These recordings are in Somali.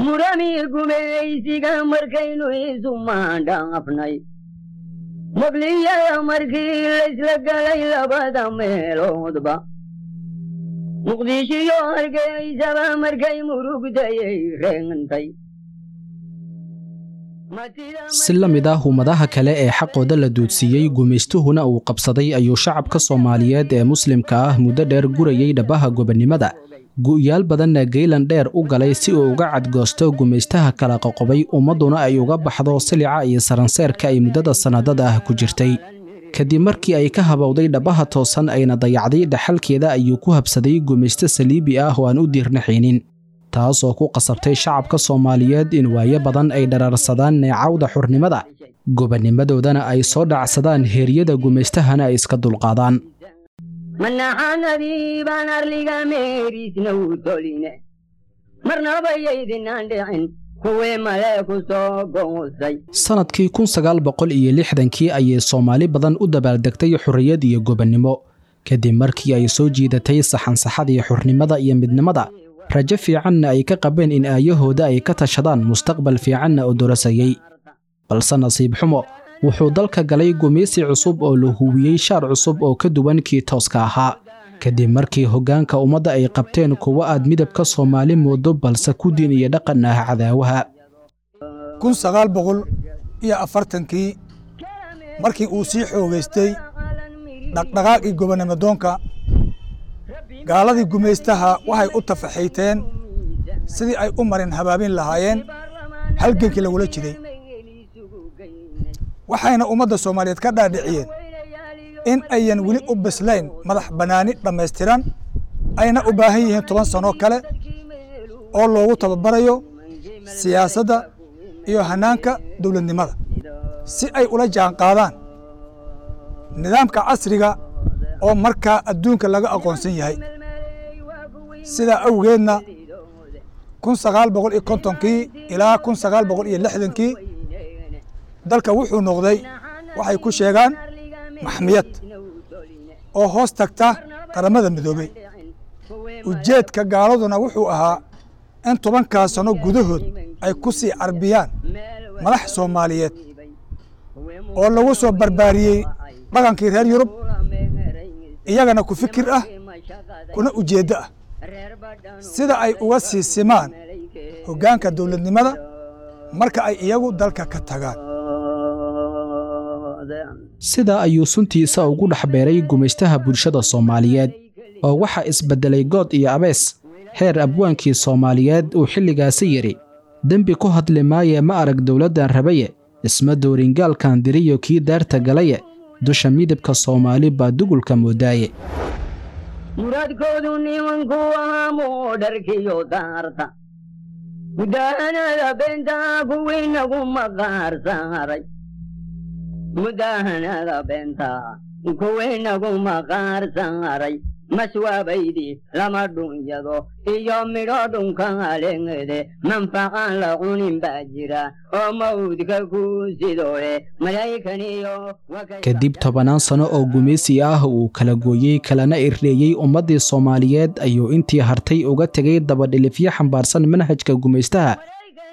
Murami gumaysiga markaynu isu maandhaafnay, Muqliyada markii laysla galay labada meeloodba, Muqdishiyo Hargeysaba markay murugtayay reentay. Si la mid ah ummadaha kale ee xaqooda la duudsiiyey, gumaystuhuna uu qabsaday, ayuu shacabka Soomaaliyeed ee muslimka ah muddo dheer gurayay dhabaha gobonnimada, gu'yaal badanna geylan dheer u galay si uu uga cadgoosto gumaystaha kala qoqobay, ummadduna ay uga baxdo silica iyo saranseerka ay muddada sannadada ah ku jirtay. Kadib markii ay ka habowday dhabaha toosan ayna dayacday dhaxalkeeda, ayuu ku habsaday gumaysto saliibi ah oo aan u diirnaxaynin, taasoo ku qasabtay shacabka Soomaaliyeed in waayo badan ay dharaarsadaan neecawda xurnimada, gobannimadoodana ay soo dhacsadaan, heeryada gumaystahana ay iska dulqaadaan. Manaxanadii baan arliga meeriisna u toline, marnaba yaydinaan dhicin kuwii male ku soo goosay. Sannadkii 1960-kii ayay Soomaali badan u dabaaldegtay xorriyad iyo gobonnimo, kadib markii ay soo jiidatay saxansaxadii xornimada iyo midnimada, rajo fiicanna ay ka qabeen in aayahooda ay ka tashadaan, mustaqbal fiicanna oo dorasayey. Balse nasiib xumo, wuxuu dalka galay gumaysi cusub oo la huwiyey shaar cusub oo ka duwan kii tooska ahaa, kadib markii hoggaanka ummadda ay qabteen kuwo aad midabka Soomaali moodo balse ku diin iyo dhaqan ah cadaawaha. 1940-kii markii uu sii xoogaystay dhaqdhaqaaqii gobonnimo doonka, gaaladii gumaystaha waxay u tafaxiiteen sidii ay u marin habaabin lahaayeen halgankii lagula jiray, waxayna ummadda Soomaaliyeed ka dhaadhiciyeen in ayan weli u bislayn madax bannaani dhammaystiran, ayna u baahan yihiin 10 sano kale oo loogu tababarayo siyaasadda iyo hannaanka dowladnimada si ay ula jaan qaadaan nidaamka casriga oo markaa adduunka laga aqoonsan yahay. Sidaa awgeedna 1950-kii ilaa 1960-kii dalka wuxuu noqday waxay ku sheegaan maxmiyad oo hoos tagta Qaramada Midoobey. Ujeedka gaaladuna wuxuu ahaa in 10-kaas sano gudahood ay ku sii carbiyaan madax Soomaaliyeed oo lagu soo barbaariyey dhaqankii reer Yurub, iyagana ku fikir ah kuna ujeeddo ah, sida ay uga sii simaan hoggaanka dowladnimada marka ay iyagu dalka ka tagaan. Sidaa ayuu suntiisa ugu dhex beeray gumaystaha bulshada Soomaaliyeed, oo waxaa isbeddelay good iyo abees, heer abwaankii Soomaaliyeed uu xilligaasi yidhi: "Dembi ku hadli maaye, ma arag dowladdan rabaye, isma doorin gaalkan diriyo kii daarta galaye, dusha midabka Soomaali baa dugulka moodaaye." Muraadkoodu nimanku ahaa moodharkiyo daarta, mudahanada beentaa kuwii nagu maqaar saaray, mudahanada beentaa kuwii nagu maqaar saaray, maswaabaydii lama dhunyado iyo midho dhunka aleengede, manfacaan la cunin baa jira oo mawdka ku sidoe malaykaniyo. Kadib tobannaan sano oo gumaysi ah uu kala gooyey kalana irdheeyey ummaddii Soomaaliyeed, ayuu intii hartay uga tegay dabadhilifyo xambaarsan manhajka gumaystaha,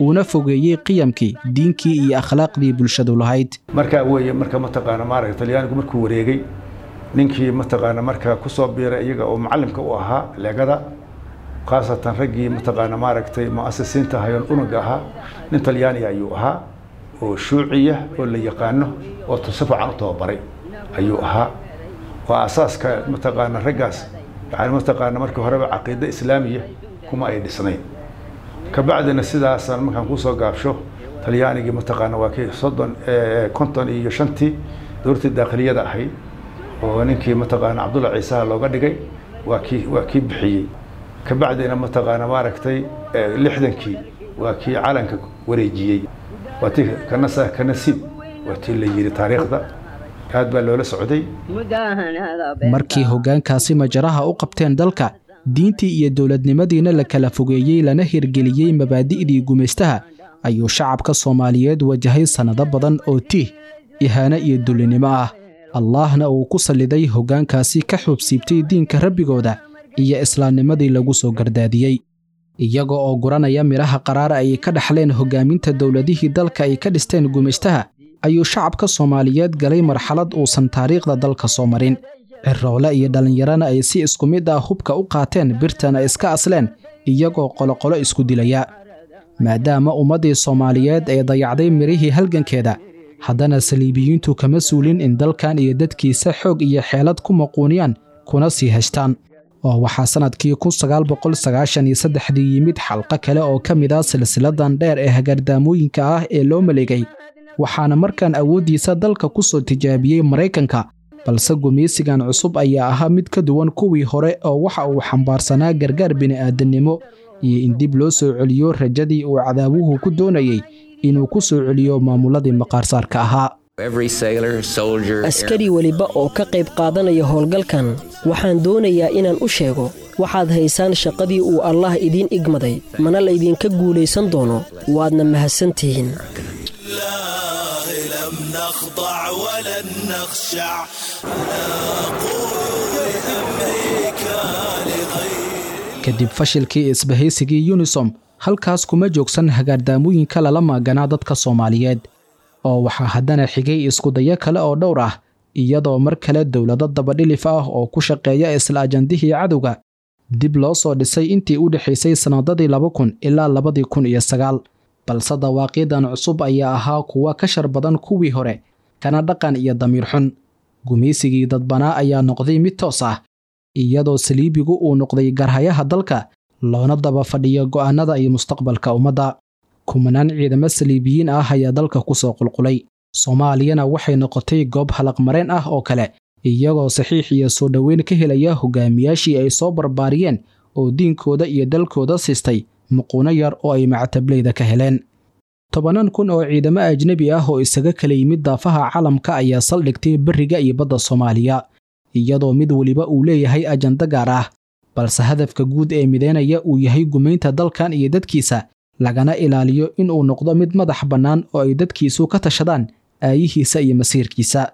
uuna fogeeyey qiyamkii, diinkii iyo akhlaaqdii bulshadu lahayd. Markaa weeye marka mataqaana maaragta Talyaanigu markuu wareegay, ninkii mataqaana markaa ku soo biiray iyaga oo macallimka u ahaa leegada, khaasatan raggii mataqaana maaragtay mu'asisiinta hayoon unuga ahaa, nin Talyaaniga ayuu ahaa oo shuuciya oo la yaqaano oo si fiican u tababaray ayuu ahaa. Waa asaaska mataqaana raggaas, yani mataqaana markii horeba caqiide islaamiya kuma ay dhisnayn. Kabacdina sidaasaan markaan kusoo gaabsho, Talyaanigii mataqaana waa kii 30 55-tii dowladtii daakhiliyada ahayd oo ninkii mataqaana Cabdulla Ciisaha looga dhigay waa kii bixiyey. Kabacdina mataqaana maaragtay 60-kii waa kii calanka wareejiyey, waa tii kanasa kanasiib, waa tii la yidhi. Taariikhda aad baa loola socday. Markii hoggaankaasi majaraha u qabteen dalka, diintii iyo dowladnimadiina la kala fogeeyey, lana hirgeliyey mabaadi'dii gumaystaha, ayuu shacabka Soomaaliyeed wajahay sannado badan oo tiih, ihaano iyo dullinimo ah, Allaahna uu ku salliday hoggaankaasi ka xuubsiibtay diinka rabbigooda iyo islaamnimadii lagu soo gardaadiyey. Iyaga oo guranaya midhaha qaraar ay ka dhaxleen hoggaaminta dowladihii dalka ay ka dhisteen gumaystaha, ayuu shacabka Soomaaliyeed galay marxalad uusan taariikhda dalka soo marin. Cirroole iyo dhallinyarana ay si isku mid ah hubka u qaateen, birtana iska asleen, iyagoo qoloqolo isku dilaya. Maadaama ummaddii Soomaaliyeed ay dayacday mirihii halgankeeda, haddana saliibiyiintu kama suulin in dalkan iyo dadkiisa xoog iyo xeelad ku maquuniyaan kuna sii heshtaan. Oo waxaa sannadkii 1993dii yimid xalqo kale oo ka mid ah silsiladan dheer ee hagardaamooyinka ah ee loo maleegay, waxaana markaan awooddiisa dalka ku soo tijaabiyey Maraykanka. Balse gumaysigan cusub ayaa ahaa mid ka duwan kuwii hore, oo waxa uu xambaarsanaa gargaar bini'aadannimo iyo in dib loo soo celiyo rajadii uu cadaawuhu ku doonayey inuu ku soo celiyo maamuladii maqaarsaarka ahaa. Askari weliba oo ka qayb qaadanaya howlgalkan, waxaan doonayaa inaan u sheego, waxaad haysaan shaqadii uu Allaah idiin igmaday, mana laydinka guulaysan doono, waadna mahadsantihiin. Kadib fashilkii isbahaysigii Unisom, halkaas kuma joogsan hagaardaamooyinka lala maaganaa dadka Soomaaliyeed, oo waxaa haddana xigay iskudayo kale oo dhowr ah, iyadoo mar kale dowlado dabadhilif ah oo ku shaqeeya isla ajandihii cadowga dib loo soo dhisay intii u dhexaysay sannadadii 2000 ilaa 2009. Balse dawaaqiidan cusub ayaa ahaa kuwa ka shar badan kuwii hore, kana dhaqan iyo damiir xun. Gumaysigii dadbanaa ayaa noqday mid toos ah, iyadoo saliibigu uu noqday garhayaha dalka, loona daba fadhiyo go'aanada iyo mustaqbalka ummadda. Kumanaan ciidamo saliibiyiin ah ayaa dalka ku soo qulqulay, Soomaaliyana waxay noqotay goob halaqmareen ah oo kale, iyagoo saxiix iyo soo dhoweyn ka helaya hogaamiyaashii ay soo barbaariyeen oo diinkooda iyo dalkooda siistay muquuno yar oo ay macatablayda ka heleen. Tobanaan kun oo ciidamo ajnebi ah oo isaga kala yimid daafaha caalamka ayaa saldhigtay berriga iyo badda Soomaaliya, iyadoo mid weliba uu leeyahay ajando gaar ah, balse hadafka guud ee mideynaya uu yahay gumaynta dalkan iyo dadkiisa, lagana ilaaliyo inuu noqdo mid madax bannaan oo ay dadkiisu ka tashadaan aayihiisa iyo masiirkiisa.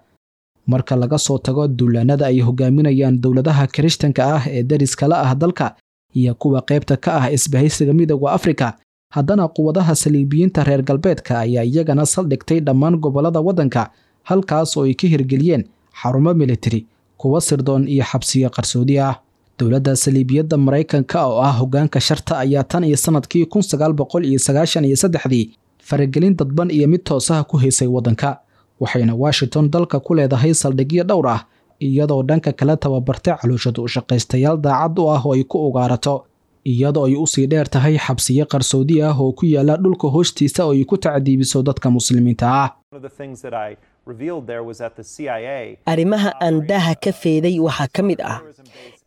Marka laga soo tago duulaanada ay hogaaminayaan dowladaha Kirishtanka ah ee dariskala ah dalka iyo kuwa qaybta ka ah isbahaysiga Midowda Afrika, haddana quwadaha saliibiyiinta reer galbeedka ayaa iyagana saldhigtay dhammaan gobollada waddanka, halkaas oo ay ka hirgeliyeen xarumo militari, kuwa sirdoon iyo xabsiyo qarsoodi ah. Dowladda saliibiyadda Maraykanka oo ah hoggaanka sharta ayaa tan iyo sannadkii 1993dii faragelin dadban iyo mid toosaha ku haysay waddanka, waxayna Washington dalka ku leedahay saldhigyo dhowr ah, iyadoo dhanka kale tababartay calooshadu u shaqaystayaal daacad u ah oo ay ku ugaarato, iyadoo ay usii dheer tahay xabsiyo qarsoodi ah oo ku yaala dhulka hoostiisa oo ay ku tacdiibiso dadka muslimiinta ah. Arrimaha aan daaha ka feeday waxaa ka mid ah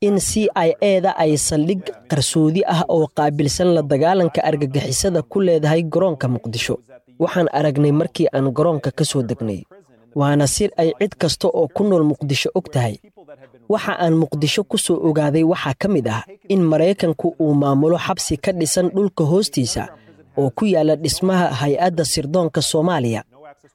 in CIA-da ay saldhig qarsoodi ah oo qaabilsan la dagaalanka argagixisada ku leedahay garoonka Muqdisho. Waxaan aragnay markii aan garoonka ka soo degnay, waana sir ay cid kasta oo ku nool Muqdisho og tahay. Waxa aan Muqdisho ku soo ogaaday waxaa ka mid ah in Maraykanku uu maamulo xabsi ka dhisan dhulka hoostiisa oo ku yaalla dhismaha hay-adda sirdoonka Soomaaliya,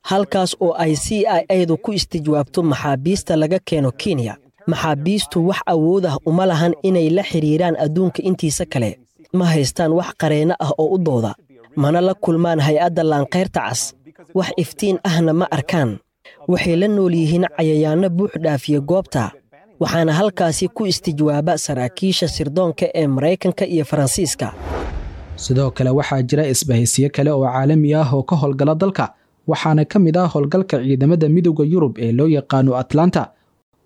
halkaas oo ay CIA-du ku istijwaabto maxaabiista laga keeno Kenya. Maxaabiistu wax awood ah uma lahan inay la xidhiiraan adduunka intiisa kale, ma haystaan wax qareenno ah oo u dooda, mana la kulmaan hay-adda laankayrta cas, wax iftiin ahna ma arkaan. Waxay la nool yihiin cayayaanno buux dhaafiya goobta, waxaana halkaasi ku istijwaaba saraakiisha sirdoonka ee Maraykanka iyo Faransiiska. Sidoo kale waxaa jira isbahaysiyo kale oo caalami ah oo ka howlgala dalka, waxaana ka mid ah howlgalka ciidamada Midowda Yurub ee loo yaqaano Atlanta,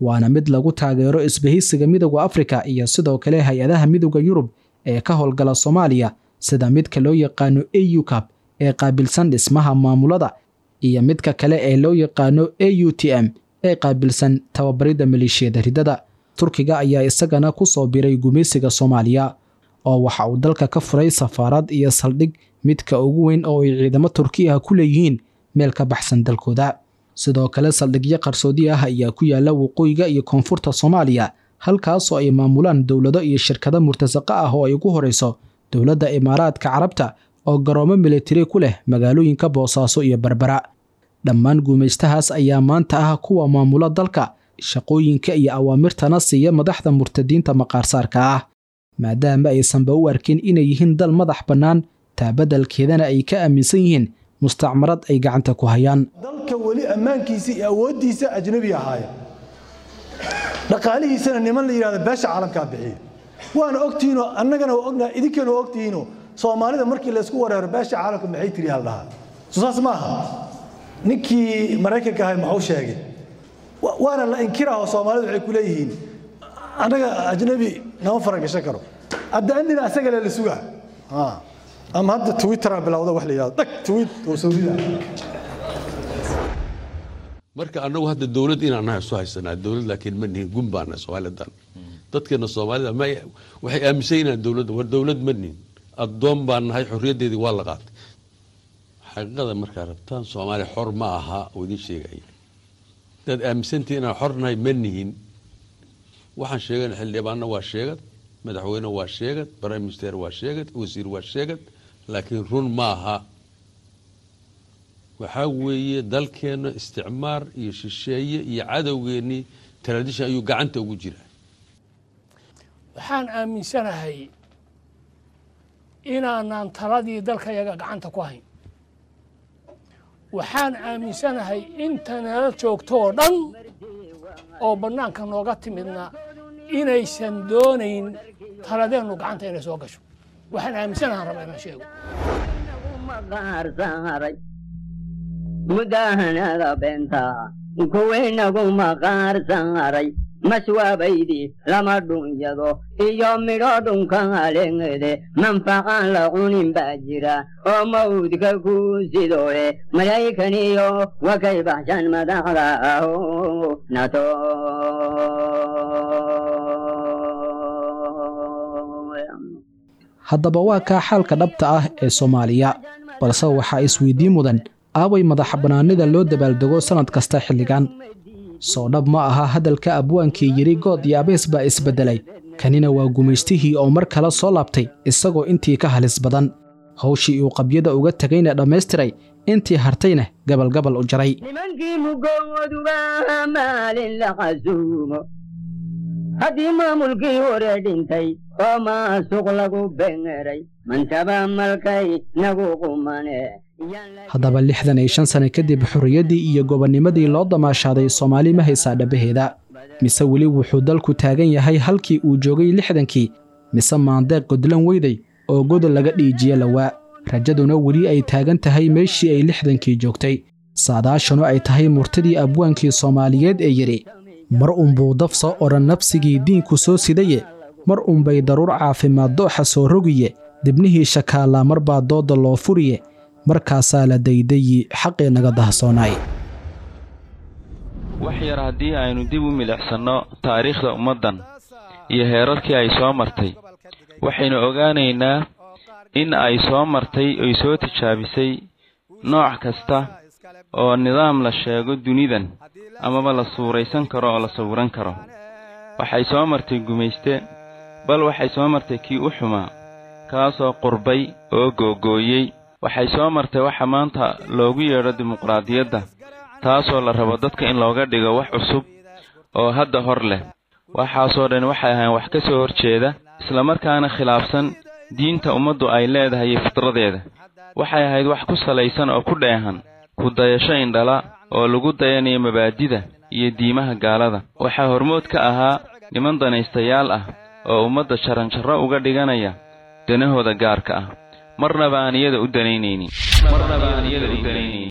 waana mid lagu taageero isbahaysiga Midowda Afrika iyo sidoo kale hay-adaha Midowda Yurub ee ka howlgala Soomaaliya, sida midka loo yaqaano AU CAP ee qaabilsan dhismaha maamulada iyo midka kale ee loo yaqaano AUTM ee qaabilsan tababaridda maleeshiyada riddada. Turkiga ayaa isagana ku soo biray gumaysiga Soomaaliya, oo waxa uu dalka ka furay safaarad iyo saldhig midka ugu weyn oo ay ciidamo Turki ah ku leeyihiin meel ka baxsan dalkooda. Sidoo kale saldhigyo qarsoodi ah ayaa ku yaala waqooyiga iyo koonfurta Soomaaliya, halkaasoo ay maamulaan dowlado iyo shirkado murtasaqa ah oo ay ugu horeyso dowladda Imaaraadka Carabta oo garoomo militari ku leh magaalooyinka Boosaaso iyo Berbera. Dhammaan gumaystahaas ayaa maanta ah kuwa maamula dalka, shaqooyinka iyo awaamirtana siiya madaxda murtadiinta maqaarsaarka ah. maadaama aysanba u arkin inay yihiin dal madax bannaan, taa beddelkeedana ay ka aaminsan yihiin mustacmarad ay gacanta ku hayaan. Dalka weli ammaankiisa iyo awooddiisa ajnabi ahaaya, dhaqaalihiisana niman la yidhahdo beesha caalamkaa bixiya. Waana ogtihiinoo annagana waa ognahay, idinkana waa ogtihiinoo Soomaalida markii laysku wareero beesha caalamka maxay tiri hal dhahaa. Soo saas ma aha? Ninkii Maraykanka ahay muxuu sheegay? Waana la inkiraho. Soomaalida waxay ku leeyihiin annaga ajnabi nama faragashan karo. Hadda andina asaga le la sugaa ama hadda Twitteraa bilowda wax la yidhahdo dhag tweet oo soo rida. Marka annagu hadda dowlad inaan nahay isu haysanaa dowlad, laakiin ma nihin, gun baa nahay. Soomaalidan dadkeena Soomaalida ma waxay aaminsan inaan dowladda war dowlad ma nihin, addoon baan nahay, xorriyaddeedii waa la qaatay. Xaqiiqada markaa rabtaan, Soomaaliya xor ma aha oo idiin sheegaya. Hadaad aaminsantihin inaan xor nahay, ma nihin. Waxaan sheegana xildhibaanna waa sheegad, madaxweyne waa sheegad, prime minister waa sheegad, wasiir waa sheegad, laakiin run ma aha. Waxaa weeye dalkeenna isticmaar iyo shisheeye iyo cadowgeennii tradition ayuu gacanta ugu jiraa. Waxaan aaminsanahay inaanaan taladii dalkayaga gacanta ku hayn. Waxaan aaminsanahay inta nala joogto oo dhan oo bannaanka nooga timidna inaysan doonayn taladeennu gacanta inay soo gasho. Waxaan aaminsanahan rabaa inaan sheego. Maqaar mudahanada beenta kuwinagu maqaar saaray, maswaabaydii lama dhunyado iyo midho dhunka alengede, manfaqaan la cunin baa jira oo mawdka ku sidoe. Malaykaniyo wakay baxshan madaxda nato. Haddaba waa kaa xaalka dhabta ah ee Soomaaliya, balse waxaa isweydiin mudan: aaway madaxbannaanida loo dabaaldego sannad kasta xilligan? Soo dhab ma aha hadalka abwaankii yidhi good iyo abees baa isbeddelay? Kanina waa gumaystihii oo mar kale soo laabtay, isagoo intii ka halis badan, hawshii uu qabyada uga tegayna dhammaystiray, intii hartayna gabalgabal u jaray. Nimankii mugooduba maalin la xasuumo, haddii maamulkii hore dhintay oo maasuq lagu bengeray, mantaba malkay nagu qumane. Haddaba 65 sano kadib, xorriyaddii iyo gobonnimadii loo damaashaaday Soomaali ma haysaa dhabaheeda, mise weli wuxuu dalku taagan yahay halkii uu joogay 60-kii? Mise maandeeq godlan weyday oo godol laga dhiijiye lawaa, rajaduna weli ay taagan tahay meeshii ay 60-kii joogtay, saadaashanu ay tahay murtidii abwaankii Soomaaliyeed ee yidhi: mar unbuu daf soo odhan nafsigii diinku soo sidaye, mar unbay daruur caafimaad dooxa soo rogiye, dibnihii shakaallaa mar baa doodda loo furiye, markaasaa la daydayi xaqii naga dahsoonaay. Wax yar haddii aynu dib u milicsanno taariikhda ummaddan iyo heerarkii ay soo martay, waxaynu ogaanaynaa in ay soo martay oy soo tijaabisay nooc kasta oo nidaam la sheego dunidan amaba la suuraysan karo oo la sawiran karo. Waxay soo martay gumayste, bal waxay soo martay kii u xumaa, kaasoo qurbay oo googooyey. Waxay soo martay waxa maanta loogu yeedho dimuqraadiyadda, taasoo la rabo dadka in looga dhigo wax cusub oo hadda hor leh. Waxaasoo dhan waxay ahayn wax ka soo horjeeda, islamarkaana khilaafsan diinta ummaddu ay leedahay iyo fitradeeda. Waxay ahayd wax ku salaysan oo ku dheehan ku dayasho indhala oo lagu dayanayo mabaadida iyo diimaha gaalada. Waxaa hormood ka ahaa niman danaystayaal ah oo ummadda jaranjarro uga dhiganaya danahooda gaarka ah, marnaba aan iyada u danaynaynin.